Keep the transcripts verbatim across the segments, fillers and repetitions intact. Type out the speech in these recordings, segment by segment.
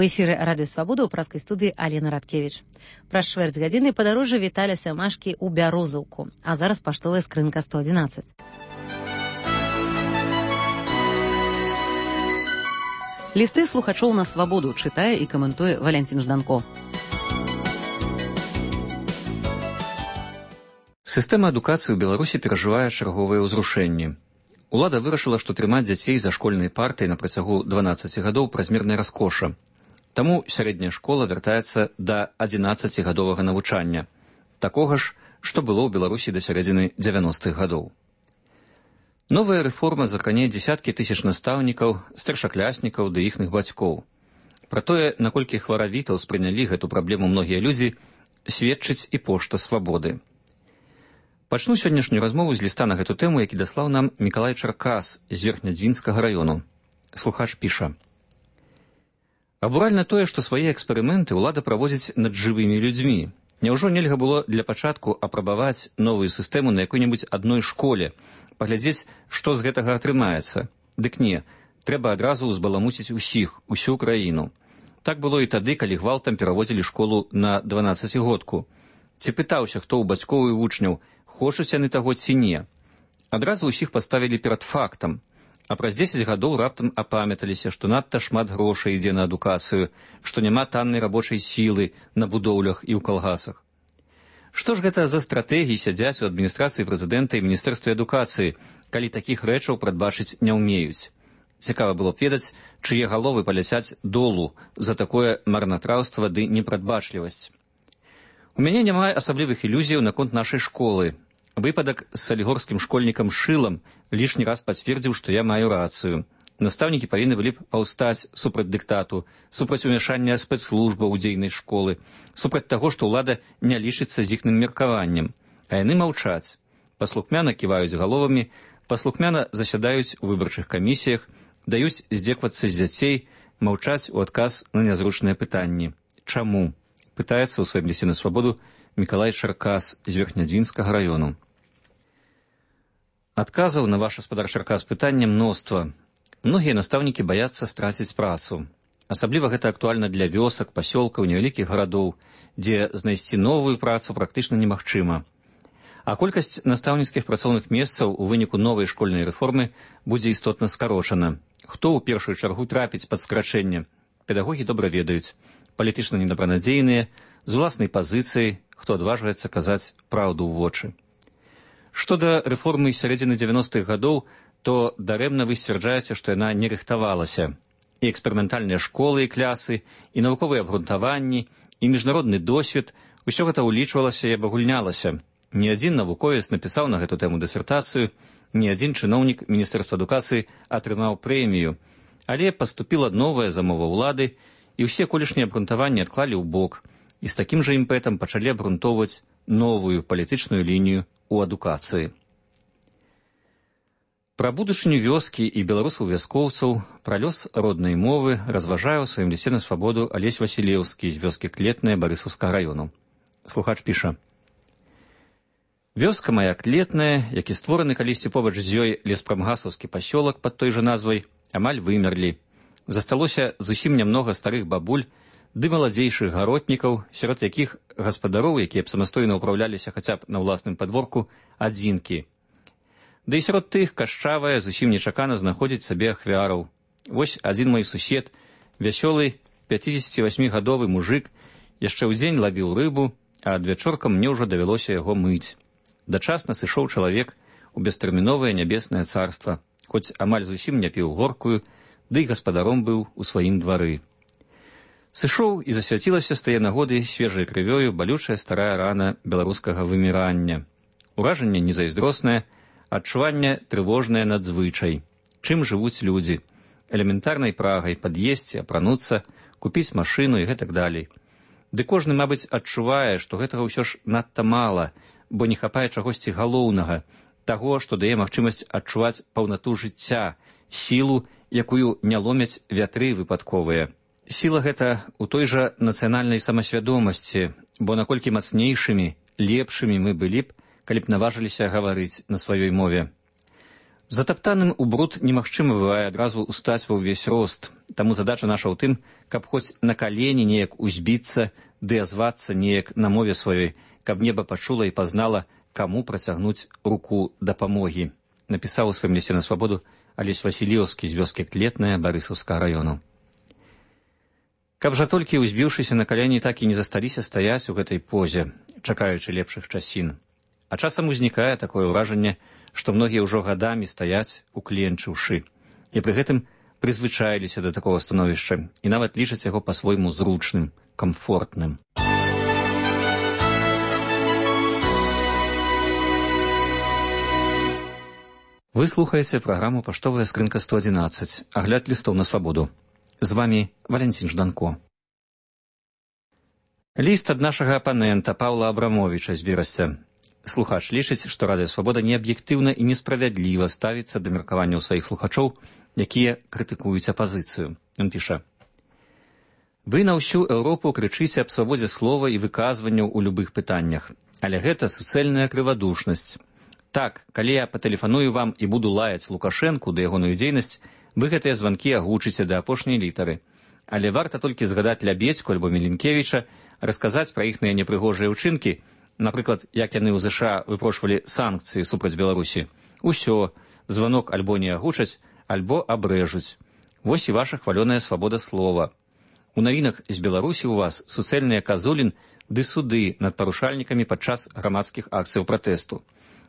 У эфіры радыё Свабода ў праскай студыі Алена Радкевіч. Праз чвэрць гадзіны падарожжа Віталя Сямашкі ў Бярозаўку, а зараз паштовая скрынка сто адзінаццаць. Лісты слухачоў на Свабоду чытае і каментуе Валянцін Жданко. Сістэма адукацыі ў Беларусі перажывае чарговыя ўзрушэнні. Улада вырашыла, што трымаць дзяцей за школьнай партай на працягу дванаццаці гадоў празмерная раскоша. Таму сярэдняя школа вяртаецца да адзінаццацігадовага навучання, такога ж, што было ў Беларусі да сярэдзіны дзевяностых гадоў. Новая рэформа закране дзесяткі тысяч настаўнікаў, старшакляснікаў ды іхных бацькоў. Пра тое, наколькі хваравіта ўспрынялі гэту праблему многія людзі, сведчыць і пошта Свабоды. Пачну сённяшнюю размову з ліста на гэту тэму, які даслаў нам Мікалай Чаркас з Верхнядзвінскага раёну. Слухач піша: «Абуральна тое, што свае эксперыменты ўлада праводзіць над жывымі людзьмі. Няўжо нельга было для пачатку апрабаваць новую сістэму на якой-небудзь адной школе, паглядзець, што з гэтага атрымаецца? Дык не, трэба адразу ўзбаламуціць усіх, усю краіну. Так было і тады, калі гвалтам пераводзілі школу на дванаццацігодку. Ці пытаўся, хто ў бацькоў і вучняў, хочуць яны таго ці не. Адразу ўсіх паставілі перад фактам, а праз дзесяць гадоў раптам апамяталіся, што надта шмат грошай ідзе на адукацыю, што няма таннай рабочай сілы на будоўлях і ў калгасах. Што ж гэта за стратэгіі сядзяць у адміністрацыі прэзідэнта і міністэрстве адукацыі, калі такіх рэчаў прадбачыць не ўмеюць? Цікава было б ведаць, чые галовы паляцяць долу за такое марнатраўства ды непрадбачлівасць. У мяне няма асаблівых ілюзіяў наконт нашай школы. Выпадак з салігорскім школьнікам Шылам лішні раз пацвердзіў, што я маю рацыю. Настаўнікі павінны былі б паўстаць супраць дыктату, супраць умяшання спецслужбаў у дзейнасць школы, супраць таго, што ўлада не лічыцца з іхным меркаваннем. А яны маўчаць. Паслухмяна ківаюць галовамі, паслухмяна засядаюць у выбарчых камісіях, даюць здзеквацца з дзяцей, маўчаць у адказ на нязручныя пытанні. Чаму? Пытаецца ў сваім лісце на Свабоду Мікалай Чаркас з Верхнядзвінскага раёну. Адказаў на ваш гаспадар Чаркас пытання мноства. Многія настаўнікі баяцца страціць працу. Асабліва гэта актуальна для вёсак, пасёлкаў, невялікіх гарадоў, дзе знайсці новую працу практычна немагчыма. А колькасць настаўніцкіх працоўных месцаў у выніку новай школьнай рэформы будзе істотна скарочана. Хто ў першую чаргу трапіць пад скарачэнне? Педагогі добра ведаюць. Палітычна недабранадзейныя, з уласнай пазіцыяй, хто адважваецца казаць праўду ў вочы. Што да рэформы сярэдзіны дзевяностых гадоў, то дарэмна вы сцвярджаеце, што яна не рыхтавалася. І эксперыментальныя школы і клясы, і навуковыя абгрунтаванні, і міжнародны досвед, усё гэта ўлічвалася і абагульнялася. Ні адзін навуковец напісаў на гэту тэму дысертацыю, ні адзін чыноўнік Міністэрства адукацыі атрымаў прэмію. Але паступіла новая замова ўлады, і ўсе колішнія абгрунтаванні адклалі ў бок, і з такім жа імпэтам пачалі абгрунтоўваць новую палітычную лінію ў адукацыі. Пра будучыню вёскі і беларусаў-вяскоўцаў, пра лёс роднай мовы разважае ў сваім лісце на Свабоду Алесь Васілеўскі з вёскі Клетная Барысаўскага раёну. Слухач піша: «Вёска мая Клетная, які створаны калісьці побач з ёй леспрамгасаўскі пасёлак пад той жа назвай, амаль вымерлі. Засталося зусім нямнога старых бабуль ды маладзейшых гаротнікаў, сярод якіх гаспадароў, якія б самастойна ўпраўляліся хаця б на ўласным падворку, адзінкі. Ды і сярод тых кашчавая зусім нечакана знаходзіць сабе ахвяраў. Вось адзін мой сусед, вясёлы пяцідзесяцівасьмігадовы мужык, яшчэ ў дзень лавіў рыбу, а адвячоркам мне ўжо давялося яго мыць. Дачасна сышоў чалавек у бестэрміновае нябеснае царства, хоць амаль зусім не піў горкую, ды і гаспадаром быў у сваім двары. Сышоў і засвяцілася з тае нагоды свежай крывёю балючая старая рана беларускага вымірання. Уражанне незайздроснае, адчуванне трывожнае надзвычай. Чым жывуць людзі? Элементарнай прагай пад'есці, апрануцца, купіць машыну і гэтак далей. Ды кожны, мабыць, адчувае, што гэтага ўсё ж надта мала, бо не хапае чагосьці галоўнага, таго, што дае магчымасць адчуваць паўнату жыцця, сілу, якую не ломяць вятры выпадковыя. Сіла гэта ў той жа нацыянальнай самасвядомасці, бо наколькі мацнейшымі, лепшымі мы былі б, калі б наважыліся гаварыць на сваёй мове. Затаптаным у бруд немагчыма бывае адразу устаць ва ўвесь рост, таму задача наша ў тым, каб хоць на калені неяк узбіцца, ды азвацца неяк на мове сваёй, каб неба пачула і пазнала, каму працягнуць руку дапамогі, напісаў у сваім лісце на свабоду Алесь Васіліўскі з вёскі Клетная Барысаўскага раёну. Каб жа толькі узбіўшыся на калені так і не засталіся стаяць у гэтай позе, чакаючы лепшых часін. А часам узнікае такое ўражанне, што многія ўжо гадамі стаяць, укленчыўшы, і пры гэтым прызвычаіліся да такога становішча і нават лічаць яго па-свойму зручным, камфортным. Вы слухаеце праграму «Паштовая скрынка сто адзінаццаць», агляд лістоў на свабоду. З вамі Валянцін Жданко. Ліст ад нашага апанента Паўла Абрамовіча з Берасця. Слухач лічыць, што Радыё Свабода неаб'ектыўна і несправядліва ставіцца да меркаванняў сваіх слухачоў, якія крытыкуюць апазіцыю. Ён піша: «Вы на ўсю Еўропу крычыце аб свабодзе слова і выказванняў у любых пытаннях, але гэта суцэльная крывадушнасць. Так, калі я патэлефаную вам і буду лаяць Лукашэнку да ягоную дзейнасць, вы гэтыя званкі агучыце да апошняй літары. Але варта толькі згадаць Лябедзьку альбо Міленкевіча, расказаць пра іхныя непрыгожыя ўчынкі, напрыклад, як яны ў ЗША выпрошвалі санкцыі супраць Беларусі. Усё, званок альбо не агучаць, альбо абрэжуць. Вось і ваша хвалёная свабода слова. У навінах з Беларусі ў вас суцэльныя казулін ды суды над парушальнікамі падчас грамадскіх акцыяў пратэсту.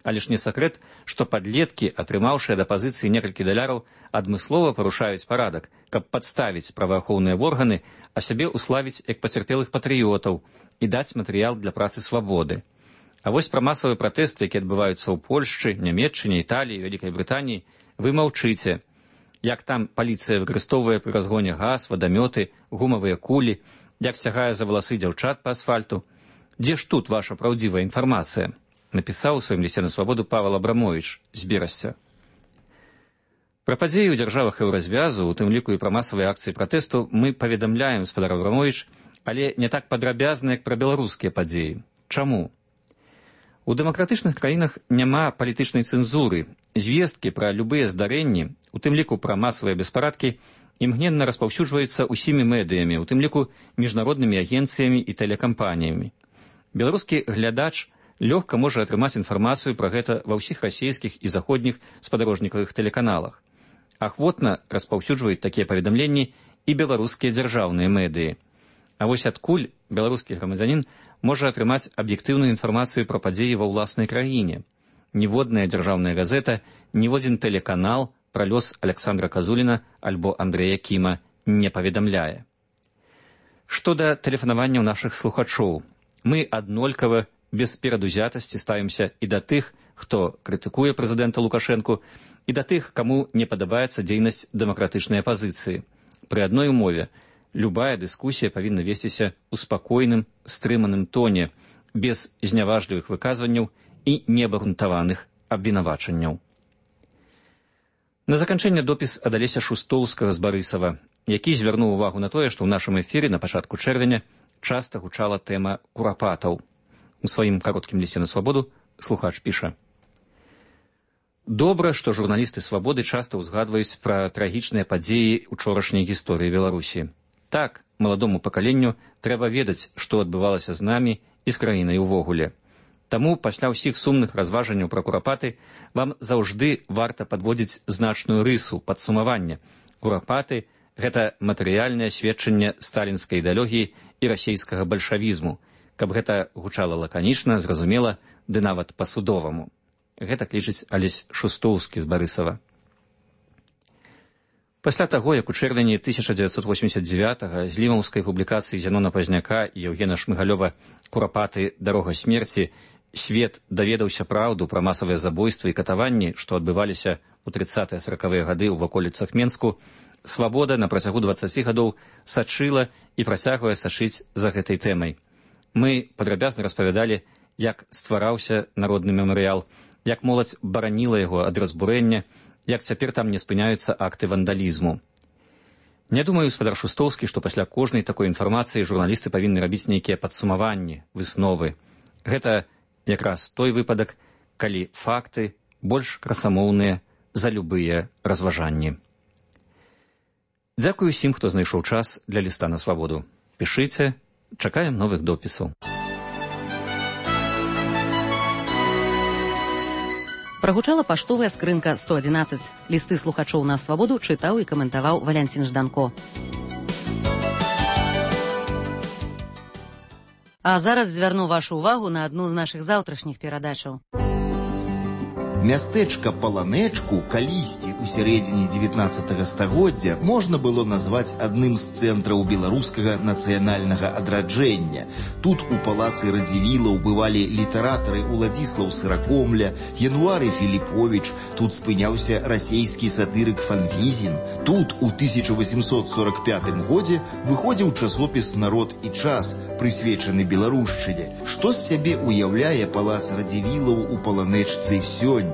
Але ж не сакрэт, што падлеткі, атрымаўшыя да пазіцыі некалькі даляраў, адмыслова парушаюць парадак, каб падставіць праваахоўныя органы, а сябе уславіць як пацярпелых патрыётаў і даць матэрыял для працы свабоды. А вось пра масавыя пратэсты, якія адбываюцца ў Польшчы, Нямецчыне, Італіі, Вялікай Брытаніі, вы маўчыце. Як там паліцыя выкарыстоўвае пры разгоне газ, вадамёты, гумавыя кулі, як цягае за валасы дзяўчат па асфальту. Дзе ж тут ваша праўдзівая інфармацыя? Напісаў у сваім лісце на свабоду Павел Абрамовіч з Берасця. Пра падзеі ў дзяржавах еўразвязу, у тым ліку і пра масавыя акцыі пратэсту, мы паведамляем, спадар Абрамовіч, але не так падрабязна, як пра беларускія падзеі. Чаму? У дэмакратычных краінах няма палітычнай цэнзуры. Звесткі пра любыя здарэнні, у тым ліку пра масавыя беспарадкі, імгненна распаўсюджваюцца ўсімі медыямі, у тым ліку міжнароднымі агенцыямі і тэлекампаніямі. Беларускі глядач лёгка можа атрымаць інфармацыю пра гэта ва ўсіх расійскіх і заходніх спадарожнікавых тэлеканалах. Ахвотна распаўсюджваюць такія паведамленні і беларускія дзяржаўныя медыі. А вось адкуль беларускі грамадзянін можа атрымаць аб'ектыўную інфармацыю пра падзеі ва ўласнай краіне? Ніводная дзяржаўная газета, ніводзін тэлеканал пра лёс Аляксандра Казуліна альбо Андрэя Кіма не паведамляе. Што да тэлефанаванняў нашых слухачоў, мы аднолькава без перадузятасці ставімся і да тых, хто крытыкуе прэзідэнта Лукашэнку, і да тых, каму не падабаецца дзейнасць дэмакратычнай апазіцыі. Пры адной умове любая дыскусія павінна весціся ў спакойным, стрыманым тоне, без зняважлівых выказванняў і неабгрунтаваных абвінавачанняў. На заканчэнне допіс ад Алеся Шустоўскага з Барысава, які звярнуў увагу на тое, што ў нашым эфіры на пачатку чэрвеня часта гучала тэма курапатаў. У сваім кароткім лісце на свабоду слухач піша: «Добра, што журналісты свабоды часта ўзгадваюць пра трагічныя падзеі учорашняй гісторыі Беларусі. Так, маладому пакаленню трэба ведаць, што адбывалася з намі і з краінай увогуле. Таму пасля ўсіх сумных разважанняў пра курапаты вам заўжды варта падводзіць значную рысу падсумавання. Курапаты – гэта матэрыяльнае сведчанне сталінскай ідэалогіі і расейскага бальшавізму, каб гэта гучала лаканічна, зразумела, ды нават па-судоваму». Гэта клічыць Алесь Шустоўскі з Барысава. Пасля таго, як у чэрвені тысяча дзевяцьсот восемьдесят дзевятага з лімаўскай публікацыі Зянона Пазняка і Еўгена Шмыгалёва «Курапаты. Дарога смерці» свет даведаўся праўду пра масавыя забойствы і катаванні, што адбываліся ў трыццатыя саракавыя гады ў ваколіцах Менску, свабода на працягу дваццаці гадоў сачыла і працягвае сачыць за гэтай тэмай. Мы падрабязна распавядалі, як ствараўся народны мемарыял, як моладзь бараніла яго ад разбурэння, як цяпер там не спыняюцца акты вандалізму. Не думаю, спадар Шустоўскі, што пасля кожнай такой інфармацыі журналісты павінны рабіць нейкія падсумаванні, высновы. Гэта якраз той выпадак, калі факты больш красамоўныя за любыя разважанні. Дзякую усім, хто знайшоў час для ліста на свабоду. Пішыце, чакаем новых допісаў. Прагучала паштовая скрынка сто адзінаццаць. Лісты слухачоў на свабоду чытаў і каментаваў Валянцін Жданко. А зараз звярну вашу увагу на адну з нашых заўтрашніх перадачаў. Мястэчка Паланэчку калісьці ў сярэдзіне дзевятнаццатага стагоддзя можна было назваць адным з цэнтраў беларускага нацыянальнага адраджэння. Тут у палацы Радзівілаў бывалі літаратары Уладзіслаў Сыракомля, Януары Філіповіч, тут спыняўся расейскі сатырык Фанвізін. Тут у тысяча восемьсот сорок пятым годзе выходзіў часопіс «Народ і час», прысвечаны беларушчыне. Што з сябе уяўляе палац Радзівілаў у Паланэчцы сёння?